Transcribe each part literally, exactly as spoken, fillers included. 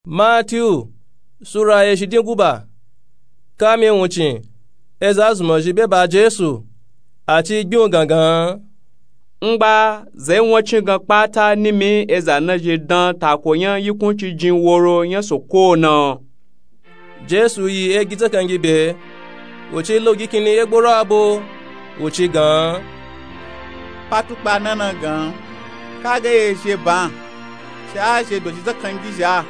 Matiyu sura eshidin guba. Kami wuncin eza zunmazhi be ba jesu, ati gbin u gangan. Ngba zai wancin gan kpata nimi eza nazhi dan tako nya yikunci jin woro nya soko na. Jesu yi egi tsakangi be, wuci laugi kini egboro abo, wuci gan. Patukpa nana gan, kaga ye zhe ban, shi a zhe dozhi tsakangi zha,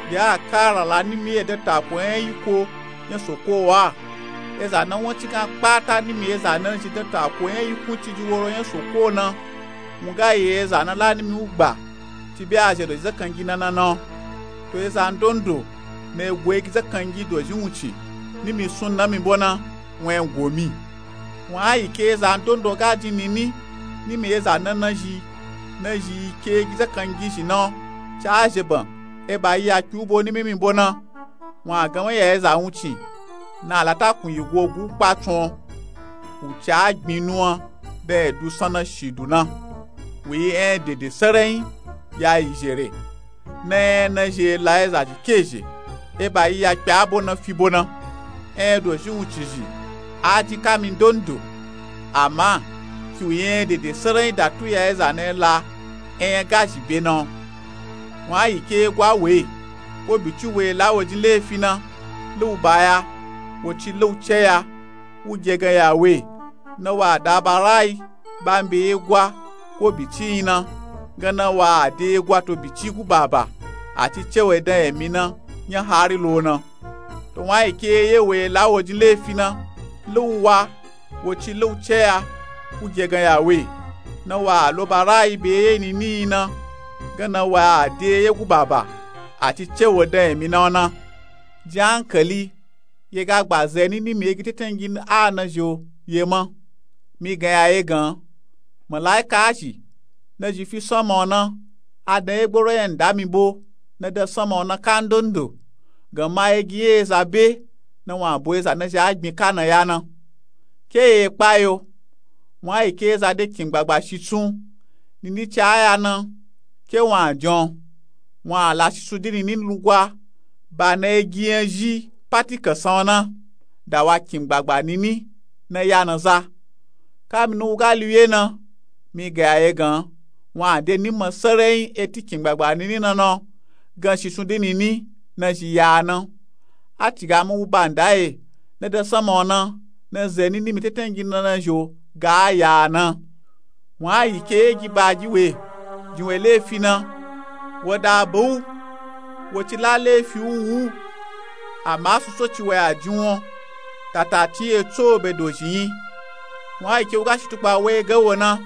bi a kara la nimi ye dan tako nya yiko nya soko wa. Eza na wancin gan kpata nimi eza nazhi dan tako nya yikunci jin woro nya soko na, wun ga yi eza na la nimi u gba, ci bi a zhe dozhi tsakangi nana na. To eza ndondo na yi go egi tsakangi dozhi wuncin nimi sun na mi bo na, wun a yi go mi. Wun a yi ke eza ndondo ga jin nini nimi eza na nazhi, nazhi yi ke egi tsakangi zhi na, ci a zhe ban, eba yi ya kpi u bo nimi mi bo na. Wun a gan wun ya eza wuncin na latakun yi go gu kpatsun, wuci a gbin nuwan dan edu sanna shidu na. Wu yi enya dede saranyi ya yi zhere. Na enya nazhi la eza zhi ke zhe, eba yi ya kpe abo na fi bo na. Enya dozhi wuncin zhi a jin kami ndondo, ama ki wu yi enya dede saranyi datu ya eza na la enya ga zhi be na. Wun a yi ke gwa we, ko bici we la wo jin lefi na, lau ba ya, wo ci lau ce ya, u ge gan ya we, na wa da ba rayi ba mi be ye gwa ko bici yin na, gan na wa a de ye gwa to bici gu baba, ati ce we dan emi na nya hari lo na. To wun a yi ke ye we la wo jin lefi na, lau wa, wo ci lau ce ya, u ge gan ya we, na wa a lo ba rayi be ye nini yin na, gan na wa a de ye gu baba, ati ce we dan emi na na. Jin ankali, ye ga gba zeni nimi egi tetangi a nazhi o ye ma. Mi gan ya ye gan, malaika zhi nazhi fi sanma o na, a dan egboro nya nda mi bo na dan sanma o na ka ndondo, gan ma egi nya eza be, na wun a bo eza nazhi a gbin ka na ya na. Ke ye kpayo, wun a yi ke eza de kingbagba shisun, nini ci a ya na, ke wun a jan, wun a la shisun di nini lugwa, ba na egi nya zhi pati kansan o na, da wa kingbagba nini na ya na za. Kami nu wu ga liwye na, mi ga ya ye gan, wun a de nima saranyi eti kingbagba nini na na, gan shisun di nini nazhi ya na. A ci ga ma wu ba nda ye, na dan sanma o na, na zeni nimi tetangi na nazhi o ga ya na. Wun a yi ke egi ba gi we, jin we lefi na, wo da ba u, wo ci la lefi u wu, ama suso ci we a jin wo, tata ti ye tso be dozhi yin. Wun a yi ke u ga shitukpa we gan wo na,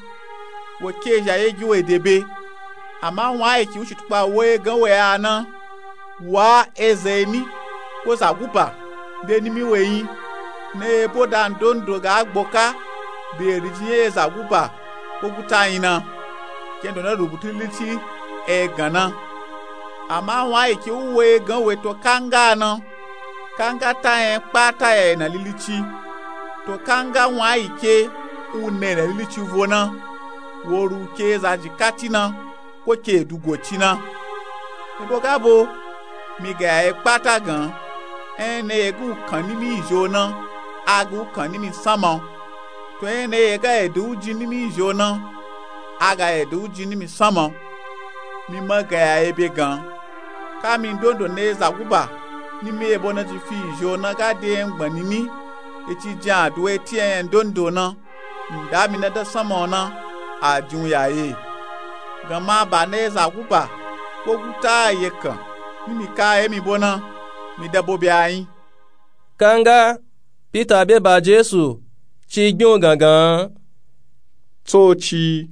wo ke zha ye gi we de be. Ama wun a yi ke u shitukpa we gan we a na, wa eza eni, ko za guba, be nimi we yin, na ebo da ndondo ga gboka, be rijin ye eza guba ko guta yin na, kendo na rubutu lilici e gan na. Ama wun a yi ke u we gan we to kanga na, kanga ta nya kpata ya ina lilici. To kanga wun a yi ke u na ina lilici vo na, wo ru ke eza jikati na, ko ke dugo ci na. Ebo ga bo, mi ga ya ye kpata gan, enya na ye ga u kan nimi izho na, a ga u kan nimi sanma o. To enya na ye ga edo u jin nimi izho na, a ga edo u jin nimi sanma o. Mi ma ga ya ye be gan, kami ndondo na eza guba nimi ebo nazhi fi izho na ga de nya gbon nini, e ci jin aduwa eti enya ndondo na, nda mi na dan sanma o na, a jin u ya ye. Gan ma ba na eza guba ko guta ye kan nimi ka ye mi bo na, mi dan bo be a yin. Kanga pita be ba jesu, ci gbin u gangan. Tsoci,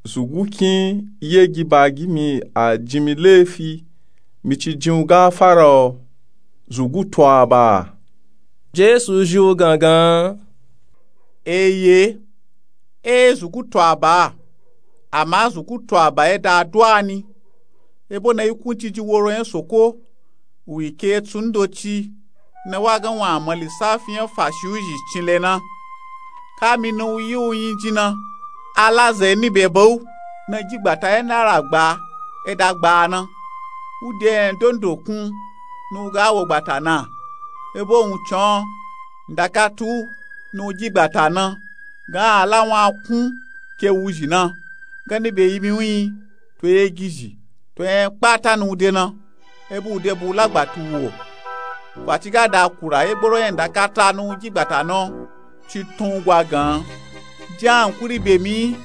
zugu kin ye gi ba gi mi, a jin mi lefi, mi ci jin u gafara o, zugu to a ba. Jesu zhi u gangan. Eye, e zugu to a ba, ama zugu to a ba ye da aduwa ni. Ebo na yikunci jin woro nya soko, wu yi ke tsun ndoci, na wa gan wun a ma lisafi nya fashi u zhi cinle na. Kami na u yi u yin jin na, a la zeni be ba u, na gi gbata ye na ra gba e da gba a na. u de yẹn dondo kun ni u ga wo gbata na. Ebo wuncin o, ndakata u ni u dyi gbata na, gan a la wun a kun ke wuzhi na, ganni be yimi wun yi, to egizhi, to yẹn kpata ni u de na, ebo u de bu u la gbata u wo. Faci ga da kura ye gboro yẹn ndakata ni u dyi gbata na o, ci tun u gwa gan, jin ankuri be mi,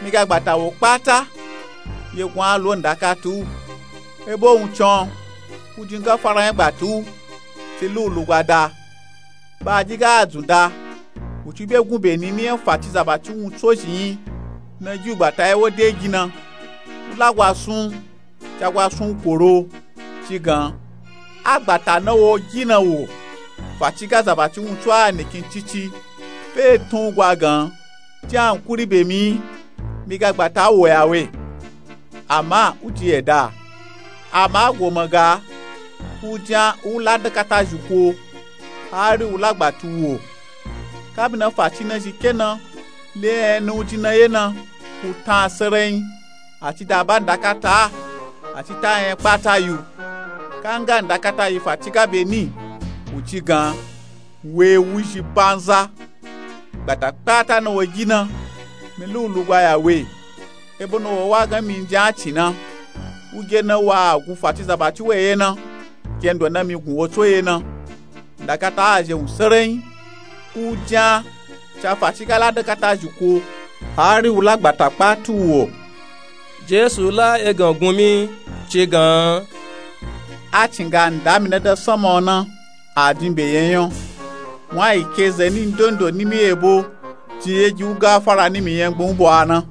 mi ga gbata wo kpata, ye gun a lo ndakata u. Ebo wuncin o, u jin gafara yẹn gbata u, ci lu u lugwa da. Ba a dyi ga a dzun da, u ci be gun be ni mi yẹn faci zabati wuntso zhin yi, na dyi u gbata ye wo de gi na, u la gwa sun, ca gwa sun u koro, ci gan, a gbata na wo dyi na wo, faci ga zabati wuntso a nikin cici, fe tun u gwa gan, jin ankuri be mi, mi ga gbata wo ya we. Ama u ci yẹda. Ama a goma ga, u jin a u la ndakata zhi ko, hari u la gbata u wo. Kabi na faci na zhi ke na le yẹn ni u jin na ye na, u tan a sarayin, a ci da ba ndakata a, a ci ta yẹn kpata yi u. Ka nga ndakata yi faci ga be ni, u ci gan, we wuzhi banza. Gbata kpata na wo dyi na, mi lu u lugwa ya we. Ebo na wo wa gan mi n jin a ci na, u ge na wa a gun faci zabati we ye na, kendo na mi gun wo tso ye na. Ndakata a zhe wun sarayin, u jin a, ca faci ga la ndakata zhi ko, hari u la gbata kpata u wo. Jesu la egan gun mi, ci gan, a cin ga nda mi na da sanma o na, a jin be yẹn yan. Wan yi ke ze ni ndondo ni mi ebo, jin ye dyi u gafara ni mi yẹn gbun u bo a na.